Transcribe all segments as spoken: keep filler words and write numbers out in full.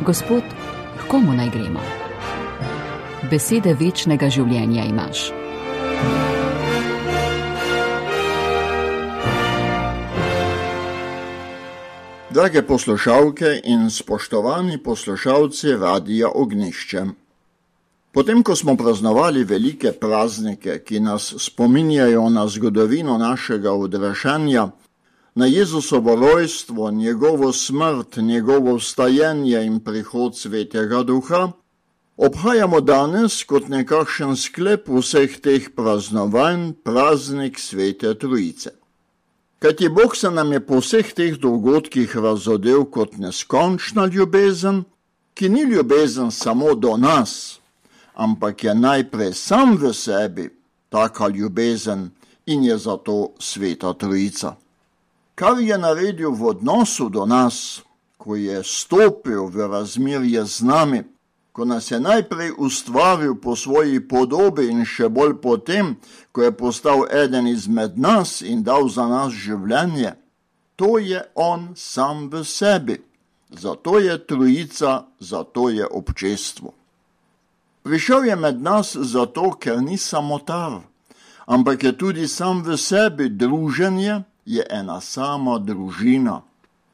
Gospod, k komu naj gremo? Besede večnega življenja imaš. Drage poslušalke in spoštovani poslušalci Radia Ognjišče. Potem, ko smo praznovali velike praznike, ki nas spominjajo na zgodovino našega odrešenja, na Jezusovo rojstvo, njegovo smrt, njegovo vstajenje in prihod Svetega Duha, obhajamo danes kot nekakšen sklep vseh teh praznovanj praznik Svete Trojice. Kajti Bog se nam je po vseh teh dogodkih razodel kot neskončna ljubezen, ki ni ljubezen samo do nas, ampak je najprej sam v sebi taka ljubezen in je zato Sveta Trojica. Kar je naredil v odnosu do nas, ko je stopil v razmerje z nami, ko nas je najprej ustvaril po svoji podobi in še bolj potem, ko je postal eden izmed nas in dal za nas življenje, to je on sam v sebi. Zato je Trojica, zato je občestvo. Prišel je med nas zato, ker ni samotar, ampak je tudi sam v sebi. Druženje je ena sama družina.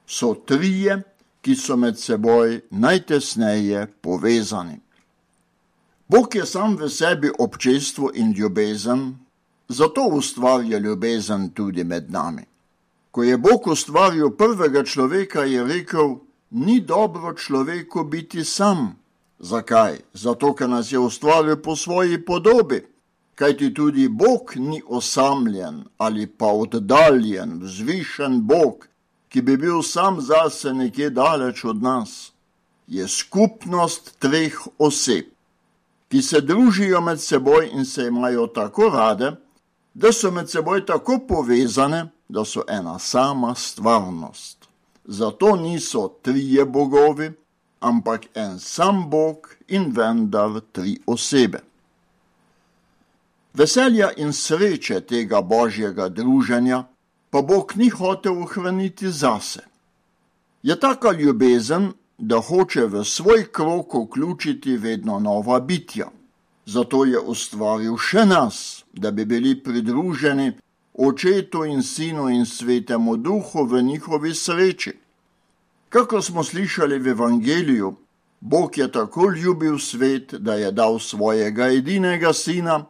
So trije, ki so med seboj najtesneje povezani. Bog je sam v sebi občestvo in ljubezen, zato ustvarja ljubezen tudi med nami. Ko je Bog ustvaril prvega človeka, je rekel, ni dobro človeku biti sam. Zakaj? Zato, ker nas je ustvaril po svoji podobi. Kajti tudi Bog ni osamljen ali pa oddaljen, vzvišen Bog, ki bi bil sam zase nekje daleč od nas. Je skupnost treh oseb, ki se družijo med seboj in se imajo tako rade, da so med seboj tako povezane, da so ena sama stvarnost. Zato niso trije bogovi, ampak en sam Bog in vendar tri osebe. Veselja in sreče tega božjega druženja pa Bog ni hotel ohraniti zase. Je taka ljubezen, da hoče v svoj krog vključiti vedno nova bitja. Zato je ustvaril še nas, da bi bili pridruženi Očetu in Sinu in Svetemu Duhu v njihovi sreči. Kako smo slišali v Evangeliju, Bog je tako ljubil svet, da je dal svojega edinega Sina,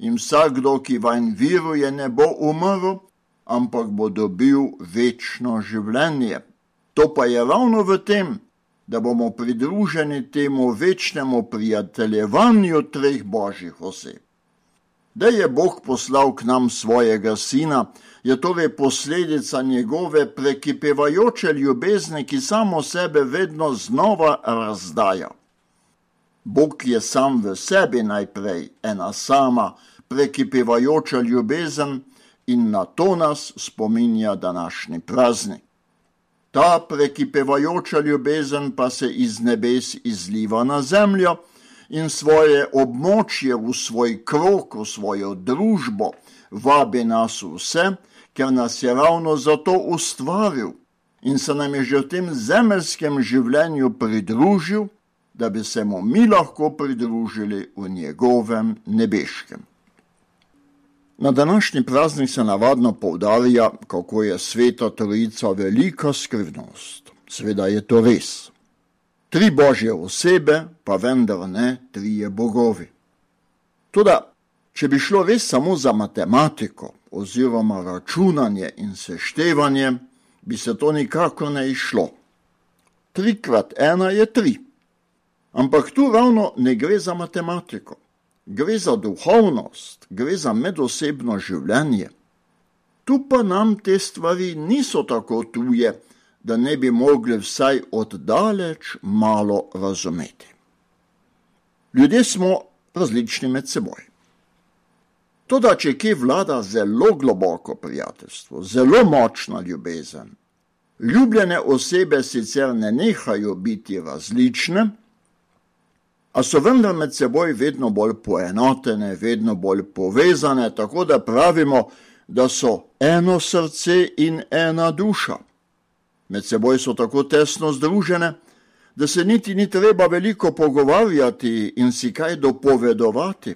in vsakdo, ki vanj veruje, ne bo umrl, ampak bo dobil večno življenje. To pa je ravno v tem, da bomo pridruženi temu večnemu prijateljevanju treh božjih oseb. Da je Bog poslal k nam svojega Sina, je torej posledica njegove prekipevajoče ljubezni, ki samo sebe vedno znova razdaja. Bog je sam v sebi najprej ena sama prekipevajoča ljubezen in na to nas spominja današnji praznik. Ta prekipevajoča ljubezen pa se iz nebes izliva na zemljo in svoje območje v svoj krog, v svojo družbo vabi nas vse, ker nas je ravno zato ustvaril in se nam je že v tem zemeljskem življenju pridružil, da bi se mu mi lahko pridružili v njegovem nebeškem. Na današnji praznik se navadno poudarja, kako je Sveta Trojica velika skrivnost. Seveda je to res. Tri božje osebe, pa vendar ne trije bogovi. Toda, če bi šlo res samo za matematiko oziroma računanje in seštevanje, bi se to nikakor ne izšlo. Tri krat ena je tri. Ampak tu ravno ne gre za matematiko. Gre za duhovnost, gre za medosebno življenje. Tu pa nam te stvari niso tako tuje, da ne bi mogli vsaj oddaleč malo razumeti. Ljudje smo različni med seboj. Toda, če kje vlada zelo globoko prijateljstvo, zelo močna ljubezen, ljubljene osebe sicer ne nehajo biti različne, a so vendar med seboj vedno bolj poenotene, vedno bolj povezane, tako da pravimo, da so eno srce in ena duša. Med seboj so tako tesno združene, da se niti ni treba veliko pogovarjati in si kaj dopovedovati.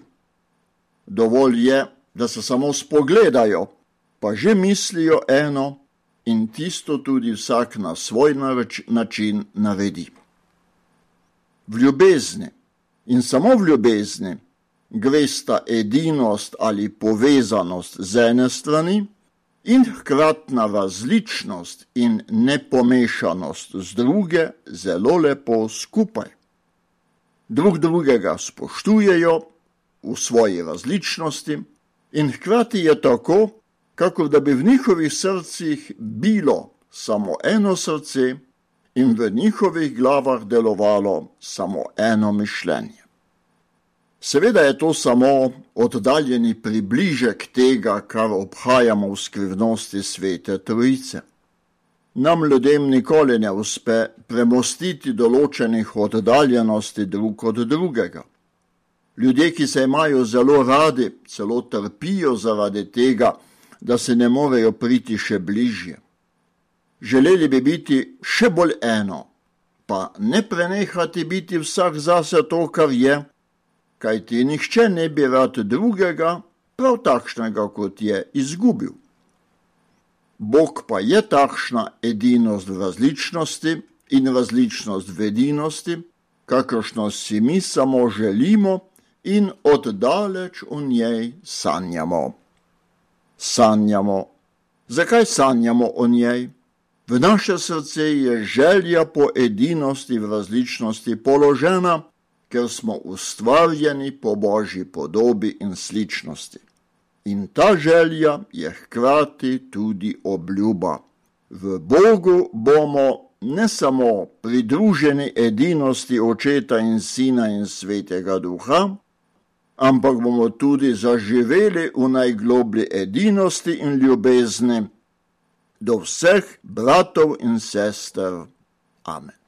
Dovolj je, da se samo spogledajo, pa že mislijo eno in tisto tudi vsak na svoj način naredi. V ljubezni in samo v ljubezni gresta edinost ali povezanost z ene strani in hkratna različnost in nepomešanost z druge zelo lepo skupaj. Drug drugega spoštujejo v svoji različnosti in hkrati je tako, kakor da bi v njihovih srcih bilo samo eno srce in v njihovih glavah delovalo samo eno mišljenje. Seveda je to samo oddaljeni približek tega, kar obhajamo v skrivnosti Svete Trojice. Nam ljudem nikoli ne uspe premostiti določenih oddaljenosti drug od drugega. Ljudje, ki se imajo zelo radi, celo trpijo zaradi tega, da se ne morejo priti še bližje. Želeli bi biti še bolj eno, pa ne prenehati biti vsak zase to, kar je, kajti nihče ne bi rad drugega, prav takšnega, kot je, izgubil. Bog pa je takšna edinost v različnosti in različnost v edinosti, kakršno si mi samo želimo in oddaleč v njej sanjamo. Sanjamo. Zakaj sanjamo o njej? V naše srce je želja po edinosti v različnosti položena, ker smo ustvarjeni po Božji podobi in sličnosti. In ta želja je hkrati tudi obljuba. V Bogu bomo ne samo pridruženi edinosti Očeta in Sina in Svetega Duha, ampak bomo tudi zaživeli v najgloblji edinosti in ljubezni do vseh bratov in sester. Amen.